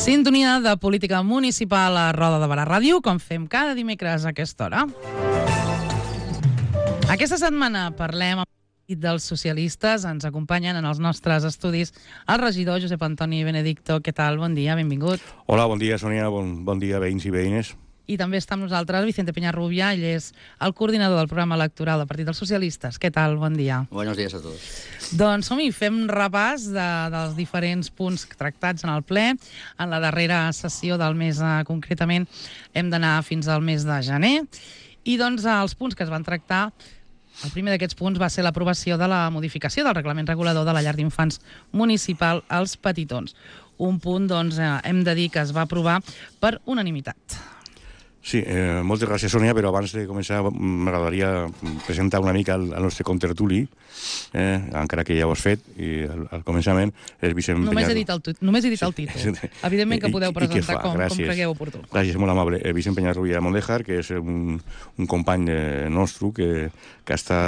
Sintonia de política municipal a Roda de Barà Ràdio, com fem cada dimecres a aquesta hora. Aquesta setmana parlem amb dels socialistes. Ens acompanyen en els nostres estudis el regidor Josep Antoni Benedicto. Què tal? Bon dia, benvingut. Hola, bon dia, Sònia. Bon dia, veïns i veïnes. I també està amb nosaltres Vicente Peñarrubia, ell és el coordinador del programa electoral del Partit dels Socialistes. Què tal? Bon dia. Buenos días a todos. Doncs som-hi, fem repàs dels diferents punts tractats en el ple. En la darrera sessió del mes, concretament, hem d'anar fins al mes de gener. I doncs els punts que es van tractar, el primer d'aquests punts va ser l'aprovació de la modificació del reglament regulador de la llar d'infants municipal als Petitons. Un punt, doncs, hem de dir que es va aprovar per unanimitat. Sí, moltes gràcies, Sònia, però abans de començar m'agradaria presentar una mica el nostre contertuli, encara que ja ho has fet, i al començament és Vicent Només he dit el títol. Evidentment que podeu presentar com cregueu oportú. Gràcies, molt amable. Vicent Peñarrubia Mondejar, que és un company nostre que està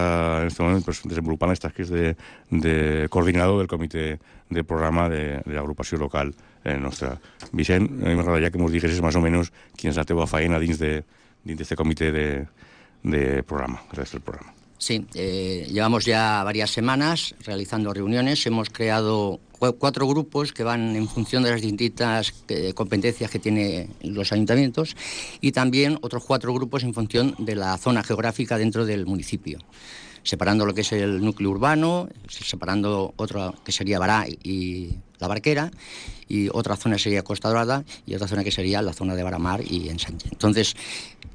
en aquest moment desenvolupant les tasques de coordinador del comitè de programa de l'agrupació local nostra. Vicent, a mi m'agradaria que ens diguessis més o menys quina és la teva feina dins d'aquest comitè de programa, del programa. Sí, llevamos ya varias semanas realizando reuniones. Hemos creado 4 grupos que van en función de las distintas competencias que tienen los ayuntamientos y también otros 4 grupos en función de la zona geográfica dentro del municipio, separando lo que es el núcleo urbano, separando otro que sería Bará y La Barquera, y otra zona sería Costa Dorada y otra zona que sería la zona de Baramar y Ensanche. Entonces,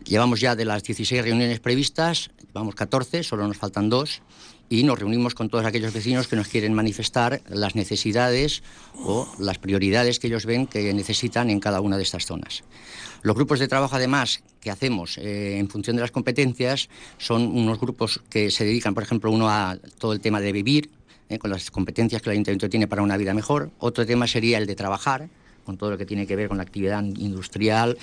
llevamos ya de las 16 reuniones previstas, llevamos 14, solo nos faltan 2, y nos reunimos con todos aquellos vecinos que nos quieren manifestar las necesidades o las prioridades que ellos ven que necesitan en cada una de estas zonas. Los grupos de trabajo, además, que hacemos en función de las competencias, son unos grupos que se dedican, por ejemplo, uno a todo el tema de vivir, con las competencias que el ayuntamiento tiene para una vida mejor. Otro tema sería el de trabajar, con todo lo que tiene que ver con la actividad industrial,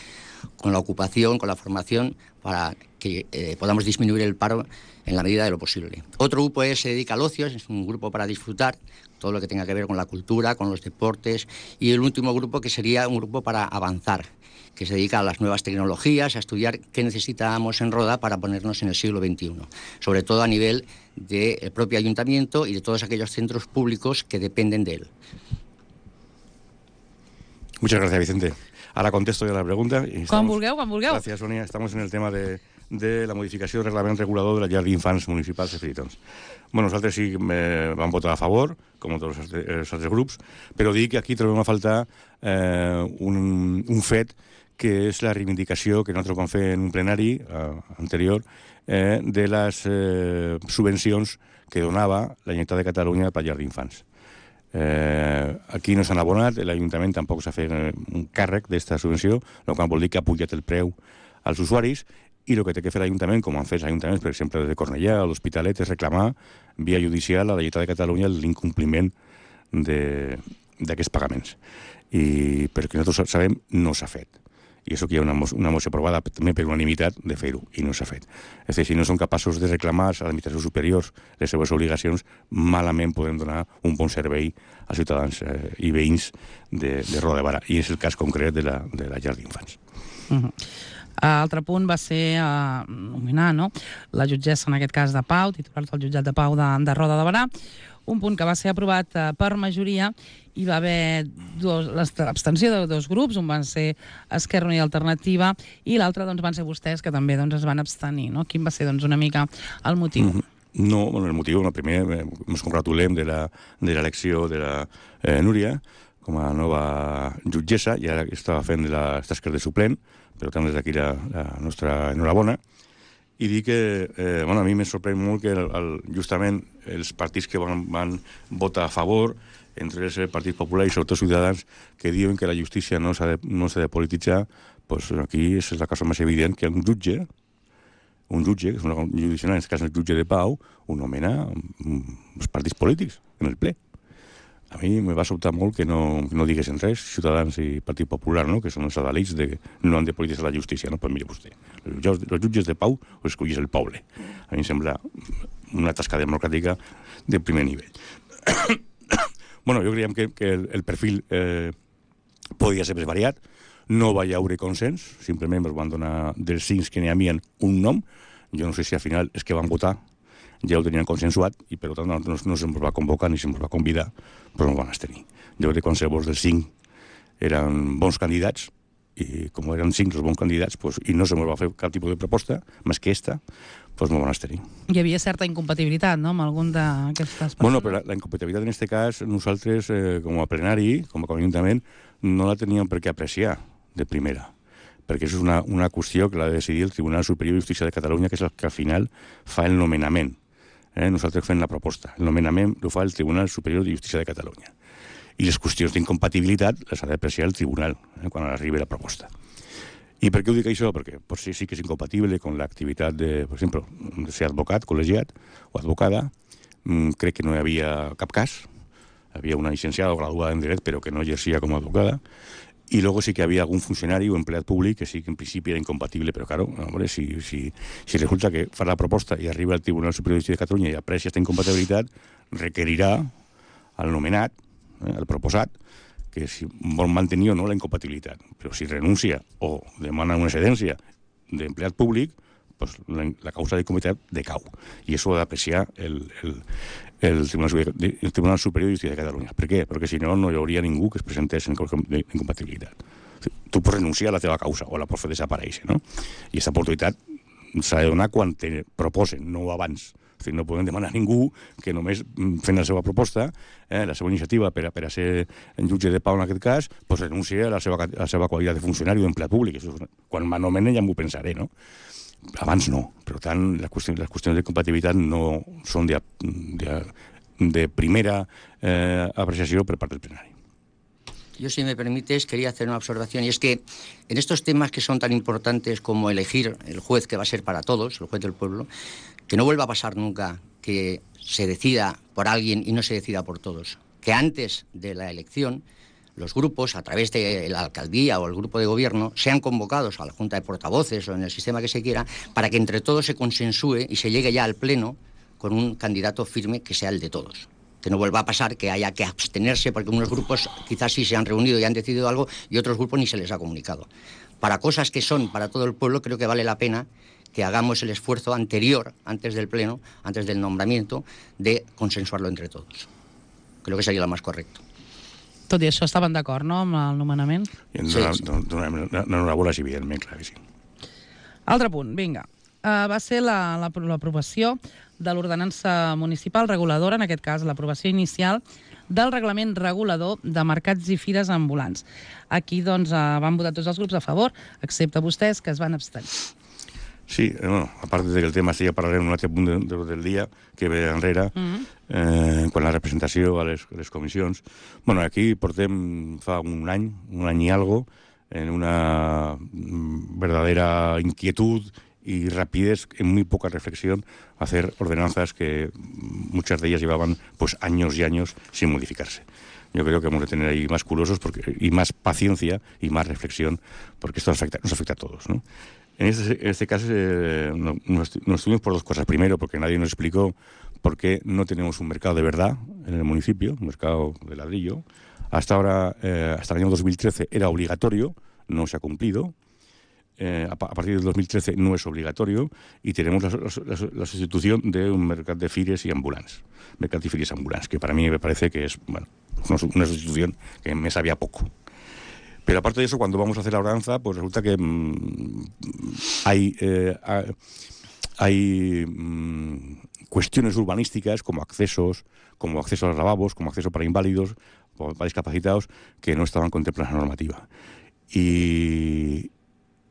con la ocupación, con la formación, para que podamos disminuir el paro en la medida de lo posible. Otro grupo se dedica al ocio, es un grupo para disfrutar, todo lo que tenga que ver con la cultura, con los deportes. Y el último grupo, que sería un grupo para avanzar, que se dedica a las nuevas tecnologías, a estudiar qué necesitamos en Roda para ponernos en el siglo XXI, sobre todo a nivel del propio ayuntamiento y de todos aquellos centros públicos que dependen de él. Muchas gracias, Vicente. Ahora contesto yo la pregunta. Quan vulgueu. Gracias, Sonia. Estamos en el tema de la modificació del reglament regulador de la llar d'infants municipals de Petitons. Bueno, nosaltres sí vam votar a favor, com tots els altres grups, però dic que aquí trobem a faltar un fet que és la reivindicació que nosaltres vam fer en un plenari anterior de les subvencions que donava la Generalitat de Catalunya per llar d'infants. Aquí no s'han abonat, l'Ajuntament tampoc s'ha fet un càrrec d'esta subvenció, el qual vol dir que ha pujat el preu als usuaris, i el que té que fer l'Ajuntament, com han fet els ajuntaments, per exemple, de Cornellà o l'Hospitalet, és reclamar via judicial a la Generalitat de Catalunya l'incompliment d'aquests pagaments. I perquè nosaltres sabem, no s'ha fet. I això que hi ha una moció aprovada també per unanimitat de fer-ho, i no s'ha fet. És a dir, si no són capaços de reclamar a l'administració superior les seves obligacions, malament podem donar un bon servei als ciutadans i veïns de Roda de Barà. I és el cas concret de la llar d'infants. L'altre punt va ser nominar la jutgessa, en aquest cas de Pau, titular del jutjat de Pau de Roda de Barà, un punt que va ser aprovat per majoria i va haver l'abstenció de 2 grups, un van ser Esquerra Unida i Alternativa i l'altre van ser vostès, que també es van abstenir. Quin va ser una mica el motiu? No, el motiu, primer ens congratulem de l'elecció de la Núria com a nova jutgessa, i ara estava fent les tasques de suplent, per tant des d'aquí la nostra enhorabona. I dir que a mi me sorprèn molt que justament els partits que van votar a favor, entre ells el Partit Popular i sobretot Ciutadans, que diuen que la justícia no s'ha de polititzar, doncs aquí és la cosa més evident que un jutge, que és una judicació, en aquest cas el jutge de Pau, ho nomena els partits polítics en el ple. A mi me va sobtar molt que no diguessin res, Ciutadans i Partit Popular, que són els adalits que no han de polititzar la justícia. Pues mire vostè, els jutges de Pau ho escollís el poble. A mi em sembla una tasca democràtica de primer nivell. Bueno, jo creiem que el perfil podia ser més variat, no va haver consens, simplement es van donar dels 5 que n'hi havia un nom. Jo no sé si al final és que van votar, ja ho tenien consensuat, i per tant no se'ns va convocar ni se'ns va convidar, però no van abstenir. Jo crec que qualsevol dels 5 eren bons candidats, i com eren 5 els bons candidats, pues, i no se'ns va fer cap tipus de proposta, més que esta, pues no van abstenir. Hi havia certa incompatibilitat, no?, amb algun d'aquestes persones. Bueno, però la incompatibilitat en aquest cas, nosaltres, com a plenari, com a Ajuntament, no la teníem per què apreciar de primera, perquè això és una qüestió que l'ha de decidir el Tribunal Superior de Justícia de Catalunya, que és el que al final fa el nomenament. Nosaltres fem la proposta. El nomenament ho fa el Tribunal Superior de Justícia de Catalunya. I les qüestions d'incompatibilitat les ha d'apreciar el tribunal quan arribi la proposta. I per què ho dic això? Perquè potser sí que és incompatible amb l'activitat de, per exemple, de ser advocat, col·legiat o advocada. Crec que no hi havia cap cas. Hi havia una llicenciada o graduada en dret, però que no exercia com a advocada. Y luego sí que había algún funcionario o empleado público que sí que en principio era incompatible, pero claro, hombre, si resulta que fa la proposta i arriba al Tribunal Superior de Justícia de Catalunya i aprecia aquesta incompatibilitat, requerirà al nomenat, al proposat, que si vol mantenir o no la incompatibilitat. Però si renuncia o demana una excedència d'empleat públic, pues la causa d'incompatibilitat decau. I això ho ha d'apreciar el Tribunal Superior de Justícia de Catalunya. Per què? Perquè si no, no hi hauria ningú que es presentés en incompatibilitat. Tu pots renunciar a la teva causa o la pots fer desaparèixer, no? I aquesta oportunitat s'ha de donar quan te proposen, no abans. O sigui, no podem demanar a ningú que només fent la seva proposta, la seva iniciativa per a ser jutge de pau en aquest cas, pues renuncie a la seva qualitat de funcionari o d'empleat públic. Quan m'anomenen ja m'ho pensaré, no? Abans no. Per tant, les qüestions de compatibilitat no són de primera apreciació per part del plenari. Yo, si me permites, quería hacer una observación, y es que en estos temas que son tan importantes como elegir el juez que va a ser para todos, el juez del pueblo, que no vuelva a pasar nunca que se decida por alguien y no se decida por todos. Que antes de la elección los grupos, a través de la alcaldía o el grupo de gobierno, sean convocados a la Junta de Portavoces o en el sistema que se quiera, para que entre todos se consensúe y se llegue ya al Pleno con un candidato firme que sea el de todos. Que no vuelva a pasar que haya que abstenerse porque unos grupos quizás sí se han reunido y han decidido algo y otros grupos ni se les ha comunicado. Para cosas que son para todo el pueblo, creo que vale la pena que hagamos el esfuerzo anterior, antes del Pleno, antes del nombramiento, de consensuarlo entre todos. Creo que sería lo más correcto. Tot i això, estaven d'acord, no?, amb el nomenament? L'enhorabona, sí, evidentment, clar que sí. Altre punt, vinga. Va ser l'aprovació de l'ordenança municipal reguladora, en aquest cas l'aprovació inicial, del reglament regulador de mercats i fires ambulants. Aquí, doncs, van votar tots els grups a favor, excepte vostès, que es van abstenir. Sí, bueno, a part de que el tema sí, ja parlarem en un altre punt del dia que ve enrere, quan la representació a les comissions. Bueno, aquí portem fa un any i algo, en una verdadera inquietud y rapidez, en muy poca reflexión, hacer ordenanzas que muchas de ellas llevaban pues años y años sin modificarse. Yo creo que vamos a tener ahí más curiosos y más paciencia y más reflexión, porque esto nos afecta a todos, ¿no? En este caso nos estuvimos por dos cosas. Primero, porque nadie nos explicó por qué no tenemos un mercado de verdad en el municipio, un mercado de ladrillo. Hasta ahora, hasta el año 2013 era obligatorio, no se ha cumplido. A partir del 2013 no es obligatorio y tenemos la sustitución de un mercat de fires y ambulants. Mercat y fires ambulants, que para mí me parece que es una sustitución que me sabía poco. Pero aparte de eso, cuando vamos a hacer la ordenanza, pues resulta que hay cuestiones urbanísticas como acceso a los lavabos, como acceso para inválidos o para discapacitados, que no estaban contemplados en la normativa. Y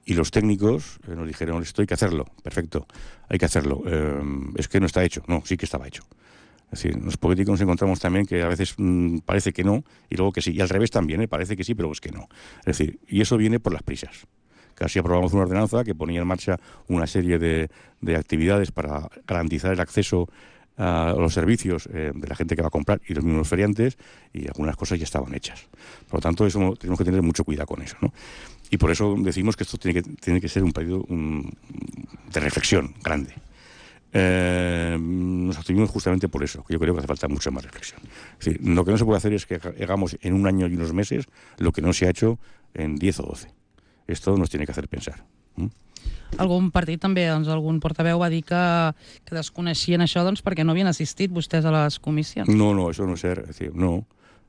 los técnicos nos dijeron, esto hay que hacerlo, perfecto, hay que hacerlo. Es que no está hecho. No, sí que estaba hecho. Es decir, los políticos nos encontramos también que a veces parece que no, y luego que sí. Y al revés también, parece que sí, pero es que no. Es decir, y eso viene por las prisas. Casi aprobamos una ordenanza que ponía en marcha una serie de actividades para garantizar el acceso a los servicios de la gente que va a comprar y los mismos feriantes, y algunas cosas ya estaban hechas. Por lo tanto, eso tenemos que tener mucho cuidado con eso, ¿no? Y por eso decimos que esto tiene que ser un periodo de reflexión grande. Nos abstuvimos justamente por eso, que yo creo que hace falta mucha más reflexión. Es decir, lo que no se puede hacer es que hagamos en un año y unos meses lo que no se ha hecho en 10 o 12. Esto nos tiene que hacer pensar. Algun partit també, doncs, algun portaveu va dir que desconeixien això perquè no havien assistit vostès a les comissions. No, eso no es ser, es decir, no.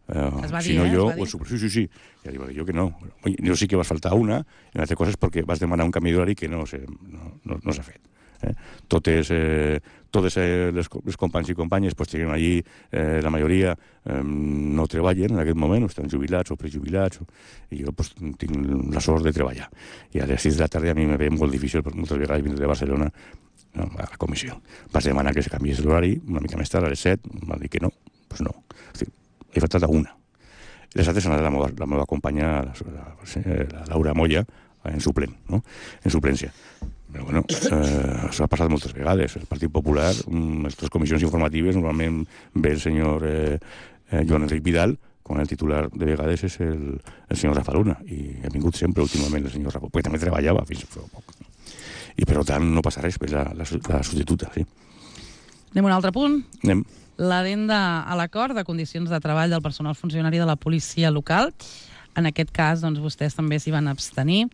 Es va dir, si no yo, es va dir? Sí. Ya digo yo que no. Oye, yo sí que vas faltar una, i una altra cosa és perquè vas demanar un canvi d'horari que no s'ha fet. Totes les companys i companyes pues, lleguen allí, la majoria no treballen en aquest moment, o estan jubilats o prejubilats, i jo pues, tinc la sort de treballar. I a les 6 de la tarda a mi me ve molt difícil, moltes vegades vindre de Barcelona a la comissió. Vas demanar que se canviés l'horari una mica més tard, a les 7, m'ha dit que no, pues no. És dir, he faltat una. Les altres han anat la meva companya, la Laura Moya, en suplent, no? En suplència. Però bueno, això ha passat moltes vegades. El Partit Popular, les tres comissions informatives, normalment ve el senyor Joan Enric Vidal, quan el titular de vegades és el senyor Rafa Luna, i ha vingut sempre últimament el senyor Rafa, perquè també treballava fins fa poc. I per tant no passa res, és la substituta, sí. Anem a un altre punt. Anem. L'adenda a l'acord de condicions de treball del personal funcionari de la policia local. En aquest cas, doncs, vostès també s'hi van abstenir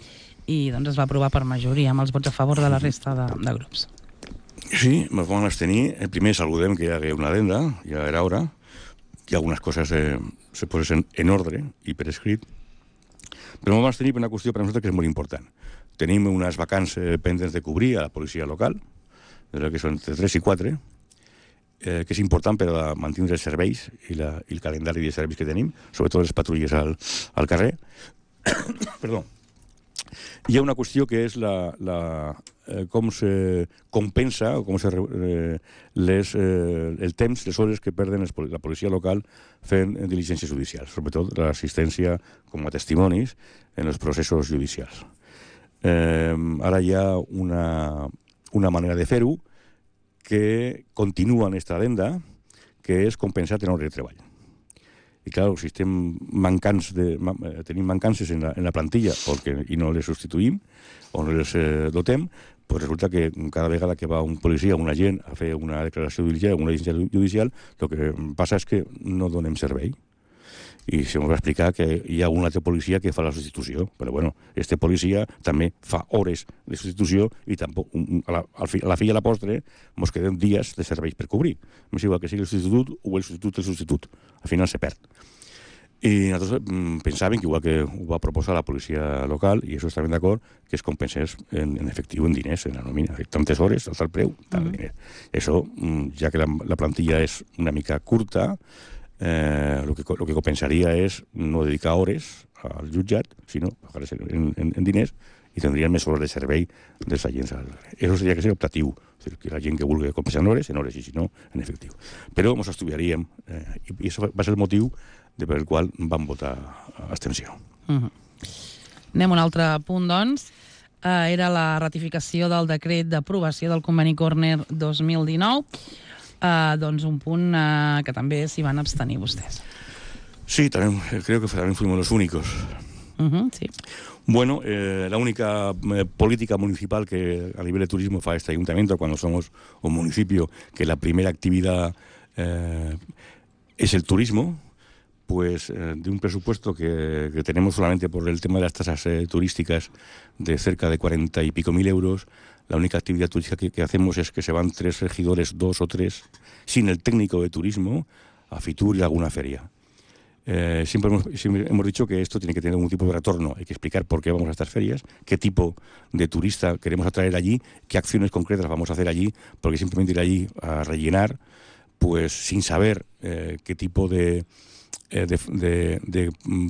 i doncs, es va aprovar per majoria, amb els vots a favor de la resta de grups. Sí, ens vam abstenir. Primer saludem que hi hagi una adenda, ja era hora, que algunes coses se posen en ordre i per escrit, però ens vam abstenir per una qüestió per a nosaltres que és molt important. Tenim unes vacants pendents de cobrir a la policia local, que són entre 3 i 4, que és important per a mantenir els serveis i el calendari de serveis que tenim, sobretot les patrulles al carrer. Perdó. Hi ha una qüestió que és com se compensa o com el temps, les hores que perden la policia local fent diligències judicials, sobretot l'assistència com a testimonis en els processos judicials. Ara hi ha una manera de fer-ho que continua en esta adenda, que és compensat en hores de treball. I clar, si tenim mancances en la plantilla i no les substituïm o no les dotem, pues resulta que cada vegada que va un policia o un agent a fer una declaració judicial o una diligència judicial, el que passa és que no donem servei. I se m'ho va explicar que hi ha un altre policia que fa la substitució, però bueno, este policia també fa hores de substitució i tampoc, a la fi i a la postre ens quedem dies de serveis per cobrir. M'és igual que sigui el substitut o el substitut. Al final se perd. I nosaltres pensàvem que igual que ho va proposar la policia local, i això estàvem d'acord, que es compensés en efectiu, en diners, en la nòmina. Tantes hores, tal preu, tant diners. Això, ja que la plantilla és una mica curta, lo que compensaria és no dedicar hores al jutjat, sinó pagar-les en diners i tindrien més hores de servei dels agents. Això seria que ser optatiu, que la gent que vulgui compensar en hores, i si no, en efectiu. Però ens estudiaríem, i això va ser el motiu per el qual vam votar abstenció. Anem a un altre punt, doncs. Era la ratificació del decret d'aprovació del conveni Corner 2019. Doncs un punt que també s'hi van abstenir vostès. Sí, también, creo que también fuimos los únicos. Sí. Bueno, la única política municipal que a nivel de turismo fa este ayuntamiento cuando somos un municipio que la primera actividad es el turismo, pues de un presupuesto que tenemos solamente por el tema de las tasas turísticas de cerca de 40 y pico mil euros. La única actividad turística que hacemos es que se van 3 regidores, 2 o 3, sin el técnico de turismo, a Fitur y a alguna feria. Siempre hemos dicho que esto tiene que tener un tipo de retorno. Hay que explicar por qué vamos a estas ferias, qué tipo de turista queremos atraer allí, qué acciones concretas vamos a hacer allí, porque simplemente ir allí a rellenar, pues sin saber qué tipo de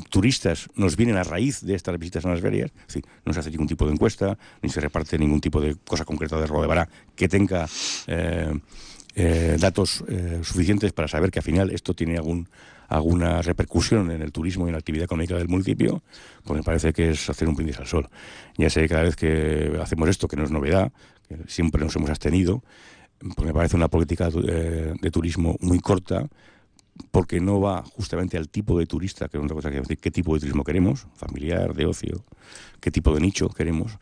turistas nos vienen a raíz de estas visitas a las ferias. Es decir, no se hace ningún tipo de encuesta, ni se reparte ningún tipo de cosa concreta de Rodebará que tenga datos suficientes para saber que al final esto tiene alguna repercusión en el turismo y en la actividad económica del municipio, pues me parece que es hacer un brindis al sol. Ya sé que cada vez que hacemos esto, que no es novedad, que siempre nos hemos abstenido, pues me parece una política de turismo muy corta, porque no va justamente al tipo de turista, que es otra cosa que decir, qué tipo de turismo queremos, familiar, de ocio, qué tipo de nicho queremos.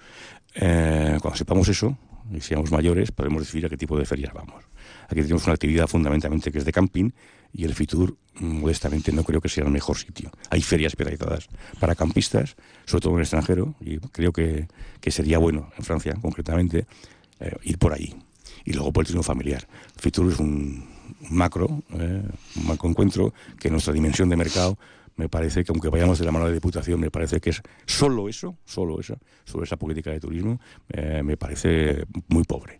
Cuando sepamos eso, y seamos mayores, podemos decidir a qué tipo de ferias vamos. Aquí tenemos una actividad fundamentalmente que es de camping y el Fitur, modestamente, no creo que sea el mejor sitio. Hay ferias especializadas para campistas, sobre todo en el extranjero, y creo que sería bueno, en Francia concretamente, ir por ahí. Y luego por el turismo familiar. Fitur es un macro encuentro que en nuestra dimensión de mercado me parece que, aunque vayamos de la mano de Diputación, me parece que es solo esa política de turismo, me parece muy pobre.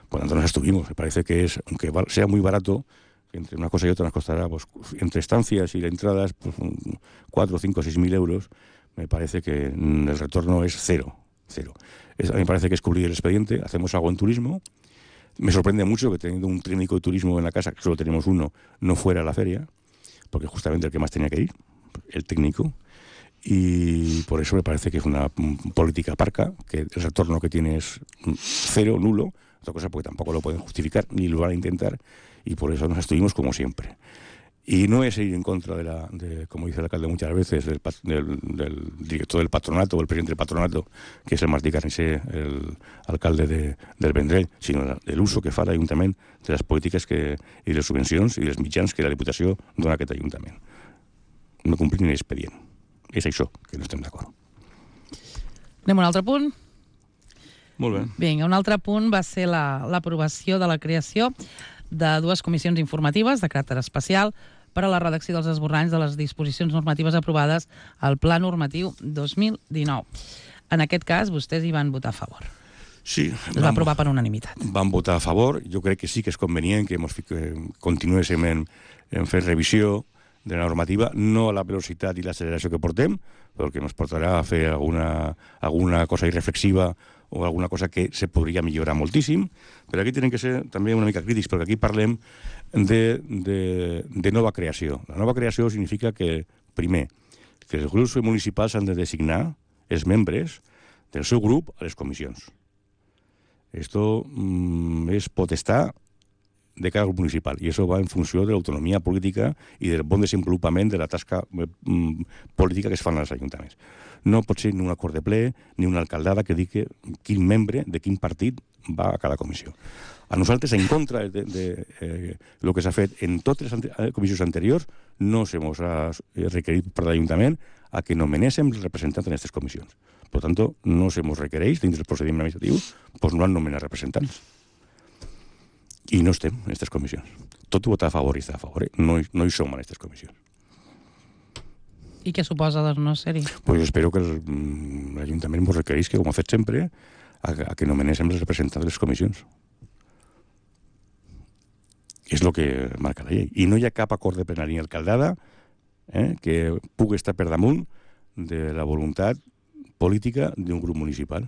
Por lo tanto, nos estuvimos. Me parece que es, aunque sea muy barato, entre una cosa y otra nos costará, pues, entre estancias y entradas, pues, 4, 5, 6 mil euros, me parece que el retorno es cero. Me parece que es cubrir el expediente, hacemos algo en turismo. Me sorprende mucho que teniendo un técnico de turismo en la casa, que solo tenemos uno, no fuera a la feria, porque justamente el que más tenía que ir, el técnico, y por eso me parece que es una política parca, que el retorno que tiene es cero, nulo, otra cosa porque tampoco lo pueden justificar ni lo van a intentar, y por eso nos estuvimos como siempre. Y no es ir en contra como dice el alcalde muchas veces, del director del patronato o el presidente del patronato, que es el Martí Carnicé, el alcalde del Vendrell, sino del uso que fa l'Ajuntament de les polítiques i les subvencions i els mitjans que la Diputació dona a aquest Ajuntament. No complir l'expedient. És això que no estem d'acord. Anem a un altre punt. Molt bé. Vinga, un altre punt va ser l'aprovació de la creació de 2 comissions informatives de caràcter especial per a la redacció dels esborranys de les disposicions normatives aprovades al Pla Normatiu 2019. En aquest cas, vostès hi van votar a favor. Sí. Es va aprovar per unanimitat. Van votar a favor. Jo crec que sí que és convenient que continuéssim en fer revisió de la normativa, no a la velocitat i l'acceleració que portem, perquè ens portarà a fer alguna cosa irreflexiva o alguna cosa que se podria millorar moltíssim, però aquí tenen que ser també una mica crítics, perquè aquí parlem de nova creació. La nova creació significa que, primer, que els grups municipals han de designar els membres del seu grup a les comissions. Esto es potestar de cada grup municipal, i això va en funció de l'autonomia política i del bon desenvolupament de la tasca política que es fan als ajuntaments. No pot ser ni un acord de ple ni una alcaldada que digui quin membre de quin partit va a cada comissió. A nosaltres, en contra de lo que s'ha fet en totes les comissions anteriors, no se nos ha requerit per l'Ajuntament a que nomenéssim els representants en aquestes comissions. Per tant, no se nos requereix, dins del procediment administratiu, doncs no han nomenat representants. I no estem en aquestes comissions. Tot i votar a favor i estar a favor, no hi som en aquestes comissions. I què suposa de no ser-hi? Pues espero que l'Ajuntament ens requereix, que com ha fet sempre, a que nomenéssim els representants de les comissions. És el que marca la llei. I no hi ha cap acord de plenari ni alcaldada que pugui estar per damunt de la voluntat política d'un grup municipal.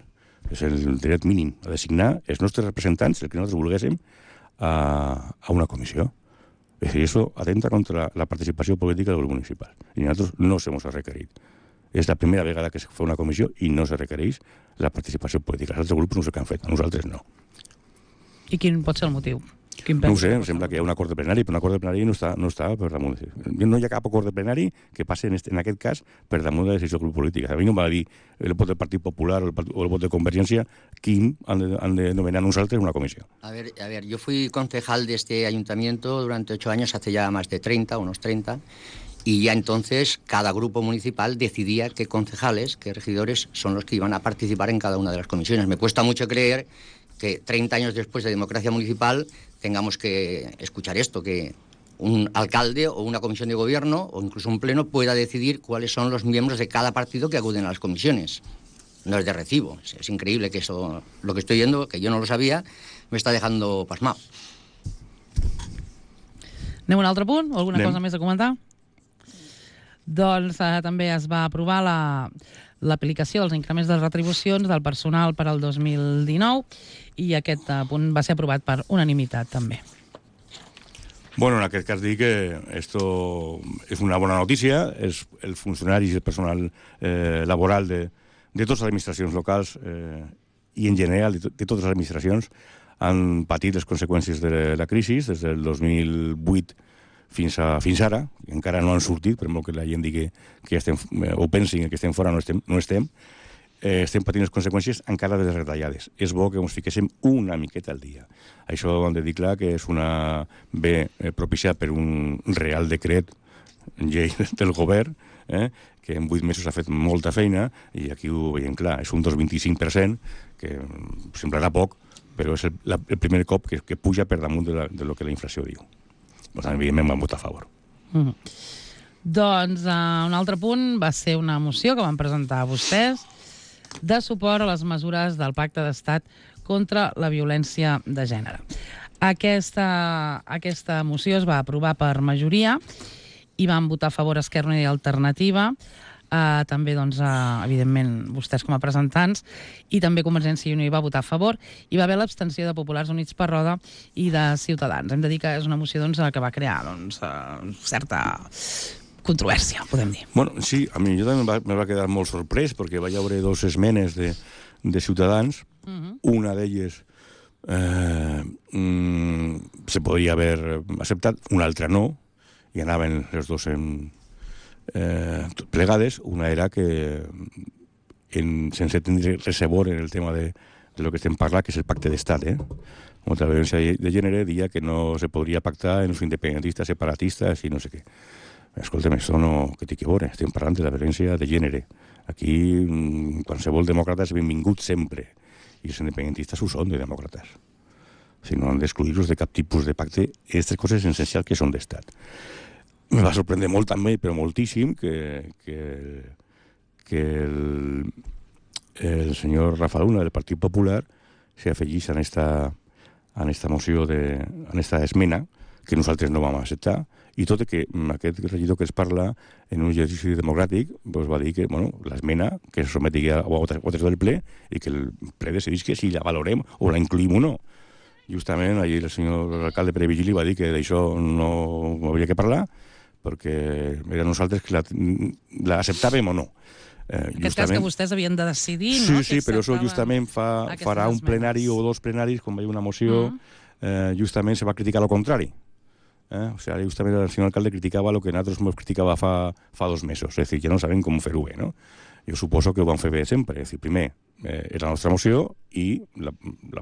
És el dret mínim a designar els nostres representants, el que nosaltres volguéssim, a una comissió. És a dir, això atenta contra la participació política del grup municipal. I nosaltres no se nos ha requerit. És la primera vegada que es fa una comissió i no se requereix la participació política. Els altres grups no sé què han fet, a nosaltres no. I quin pot ser el motiu? No ho sé, em sembla que hi ha un acord de plenari, però un acord de plenari no està per damunt. No hi ha cap acord de plenari que passi en aquest cas per damunt de la decisió del grup polític. A mi no em va dir el vot del Partit Popular o el vot de Convergència quin han de nomenar nosaltres una comissió. A ver, yo fui concejal de este ayuntamiento durante 8 años, hace ya más de 30, unos 30, y ya entonces cada grupo municipal decidía qué concejales, qué regidores son los que iban a participar en cada una de las comisiones. Me cuesta mucho creer que 30 años después de democracia municipal tengamos que escuchar esto, que un alcalde o una comisión de gobierno o incluso un pleno pueda decidir cuáles son los miembros de cada partido que acuden a las comisiones. No es de recibo. Es increíble que eso, lo que estoy viendo, que yo no lo sabía, me está dejando pasmado. Anem a un altre punt? O alguna cosa més a comentar? Doncs també es va aprovar l'aplicació dels increments de retribucions del personal per al 2019 i aquest punt va ser aprovat per unanimitat també. Bueno, en aquest cas dic que esto és una bona notícia. Els funcionaris i el personal laboral de totes les administracions locals i en general de totes les administracions han patit les conseqüències de la crisi des del 2008 fins ara. Encara no han sortit, per molt que la gent digui que estem, o pensin que estem fora, no estem. estem patint les conseqüències encara de les retallades. És bo que ens fiquéssim una miqueta al dia. Això ho hem de dir clar que és una propiciat per un real decret, llei del govern, que en 8 mesos ha fet molta feina, i aquí ho veiem clar, és un 2,25%, que semblarà poc, però és el primer cop que puja per damunt de lo que la inflació diu. Per tant, evidentment vam votar a favor. Doncs un altre punt va ser una moció que van presentar vostès de suport a les mesures del Pacte d'Estat contra la violència de gènere. Aquesta moció es va aprovar per majoria i van votar a favor Esquerra Unida i Alternativa, també, doncs, evidentment, vostès com a presentants, i també Convergència i Unió hi va votar a favor, i va haver l'abstenció de Populars Units per Roda i de Ciutadans. Hem de dir que és una moció que va crear certa controvèrsia, podem dir. Bueno, sí, a mi jo també me va quedar molt sorprès perquè vaig veure 2 esmenes de Ciutadans. Una d'elles se podria haver acceptat, una altra no, i anaven les 2 plegades. Una era que, sense tindre res a veure en el tema de lo que estem parlant, que és el pacte d'estat, contra la violència de gènere, dia que no se podria pactar en els independentistes, separatistes i no sé què. Escolta'm, això no que té que veure, estem parlant de la violència de gènere. Aquí qualsevol demòcrata és benvingut sempre, i els independentistes ho són de demòcrates. Si no han d'excluir-los de cap tipus de pacte, aquestes coses essencials que són d'estat. Me va sorprendre molt també, però moltíssim, que el senyor Rafa Luna del Partit Popular s'afegís en esta moció, en esta esmena, que nosaltres no vam acceptar, i tot i que aquest regidor que es parla en un exercici democràtic va dir que l'esmena que se someti a votació del ple i que el ple decidís que si la valorem o la incluïm o no. Justament ahir el senyor alcalde Pere Vigili va dir que d'això no hauria que parlar perquè era nosaltres que l'acceptàvem o no. En aquest cas que vostès havien de decidir, no? Sí, però això justament farà un plenari o 2 plenaris, quan va haver una moció, justament se va criticar el contrari. O sigui, justament el senyor alcalde criticava el que nosaltres ens criticava fa 2 mesos. És a dir, ja no sabem com fer-ho bé, no? Jo suposo que ho van fer bé sempre. És a dir, primer és la nostra moció i la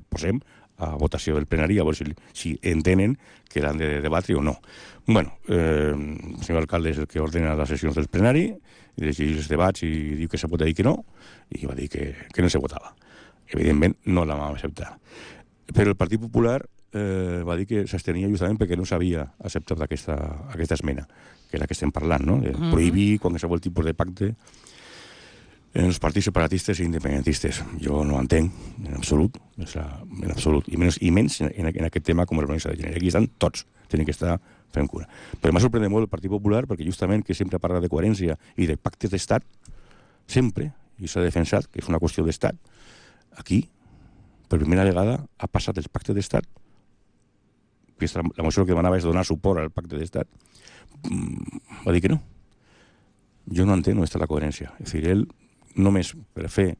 posem a votació del plenari, a veure si entenen que l'han de debatre o no. Bueno, el senyor alcalde és el que ordena les sessions del plenari, i llegeix els debats i diu que se pot dir que no, i va dir que no se votava. Evidentment, no la vam acceptar. Però el Partit Popular va dir que s'abstenia justament perquè no s'havia acceptat aquesta esmena, que és la que estem parlant, no? De prohibir qualsevol tipus de pacte en els partits separatistes i independentistes. Jo no ho entenc, en absolut, i menys en aquest tema com la violència de gènere. Aquí estan tots, tenen que estar fent cura. Però m'ha sorprès molt el Partit Popular perquè justament que sempre parla de coherència i de pactes d'estat, sempre, i s'ha defensat que és una qüestió d'estat, aquí, per primera vegada, ha passat el pacte d'estat, que la moció que demanava és donar suport al pacte d'estat, va dir que no. Jo no entenc on està la coherència. És a dir, ell només per fer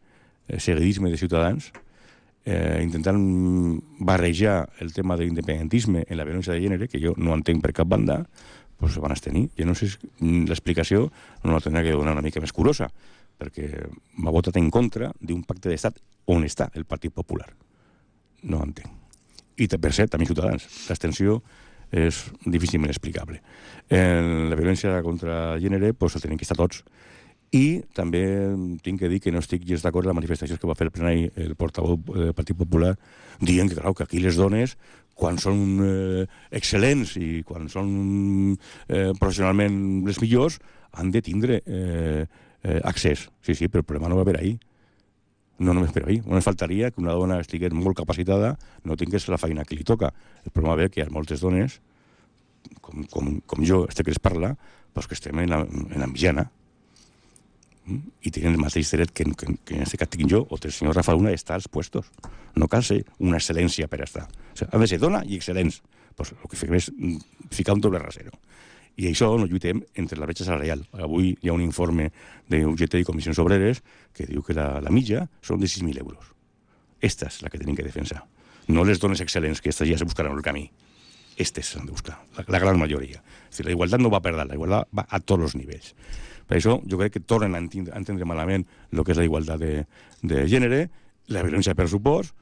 seguidisme de Ciutadans, intentant barrejar el tema de l'independentisme en la violència de gènere, que jo no entenc per cap banda, doncs se van abstenir. Jo no sé si l'explicació no la tindrà que donar una mica més curosa, perquè m'ha votat en contra d'un pacte d'estat on està el Partit Popular. No entenc. I, per cert, també Ciutadans. L'abstenció és difícilment explicable. En la violència contra el gènere doncs el tenen que estar tots. I també tinc que dir que no estic gens d'acord amb les manifestacions que va fer el plenari el portaveu del Partit Popular dient que, clar, que aquí les dones, quan són excel·lents i quan són professionalment les millors, han de tindre accés. Sí, però el problema no va haver ahir. No només per ahir. Només faltaria que una dona estigués molt capacitada, no tingués la feina que li toca. El problema ve que hi ha moltes dones, com jo, que es parla, doncs que estem en la mitjana i tenen el mateix dret que en aquest cas tinc jo o el senyor Rafa Luna estar als puestos. No cal ser una excel·lència per estar. O sigui, ha de ser dona i excel·lents. Pues el que fem és ficar un doble rasero. I això no lluitem entre la bretxa salarial. Avui hi ha un informe d'UGT i Comissions Obreres que diu que la mitja són de 6.000 euros. Esta és la que tenim que defensar. No les dones excel·lents, que aquestes ja se buscaran el camí. Aquestes s'han de buscar, la gran majoria. És dir, la igualtat no va per dalt, la igualtat va a tots els nivells. Per això jo crec que tornen a entendre malament el que és la igualtat de gènere, la violència per supost,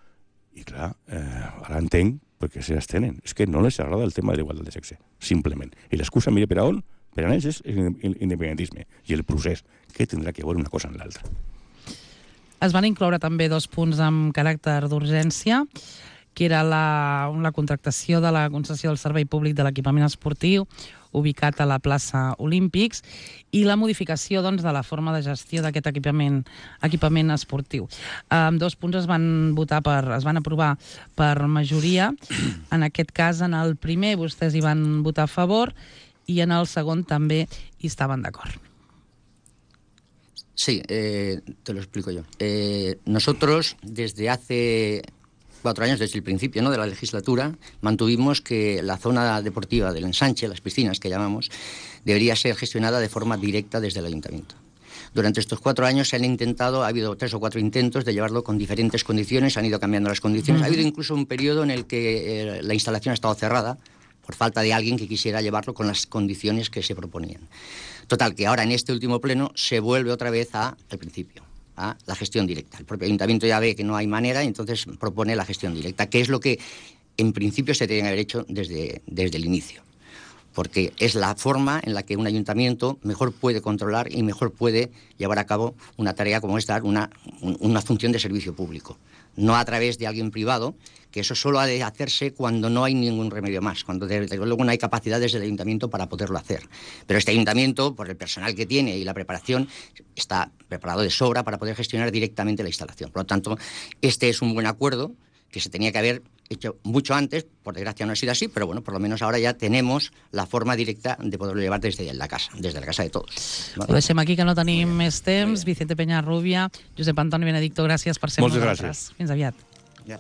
i clar, ara entenc perquè s'estenen. És que no les agrada el tema de l'igualtat de sexe, simplement. I l'excusa, mire, per a on? Per a ells és l'independentisme i el procés, que tindrà que veure una cosa en l'altra. Es van incloure també 2 punts amb caràcter d'urgència, que era la contractació de la concessió del servei públic de l'equipament esportiu ubicat a la plaça Olímpics i la modificació de la forma de gestió d'aquest equipament esportiu. 2 punts es van aprovar per majoria. En aquest cas, en el primer vostès hi van votar a favor i en el segon també hi estaven d'acord. Sí, te lo explico yo. Nosotros, desde hace 4 años, desde el principio, ¿no?, de la legislatura, mantuvimos que la zona deportiva del ensanche, las piscinas que llamamos, debería ser gestionada de forma directa desde el ayuntamiento. Durante estos 4 años se han intentado, ha habido 3 o 4 intentos de llevarlo con diferentes condiciones, han ido cambiando las condiciones. Ha habido incluso un periodo en el que la instalación ha estado cerrada por falta de alguien que quisiera llevarlo con las condiciones que se proponían. Total, que ahora en este último pleno se vuelve otra vez al principio, a la gestión directa. El propio ayuntamiento ya ve que no hay manera y entonces propone la gestión directa, que es lo que en principio se tenía que haber hecho desde el inicio, porque es la forma en la que un ayuntamiento mejor puede controlar y mejor puede llevar a cabo una tarea como es dar una función de servicio público, no a través de alguien privado, que eso solo ha de hacerse cuando no hay ningún remedio más, cuando desde luego no hay capacidad desde el ayuntamiento para poderlo hacer. Pero este ayuntamiento, por el personal que tiene y la preparación, está preparado de sobra para poder gestionar directamente la instalación. Por lo tanto, este es un buen acuerdo que se tenía que haber hecho mucho antes, por desgracia no ha sido así, pero bueno, por lo menos ahora ya tenemos la forma directa de poderlo llevar desde la casa de todos. Ho deixem aquí, que no tenim més temps. Vicente Peñarrubia, Josep Antoni Benedicto, gràcies per ser amb nosaltres. Moltes gràcies. Fins aviat. Ja.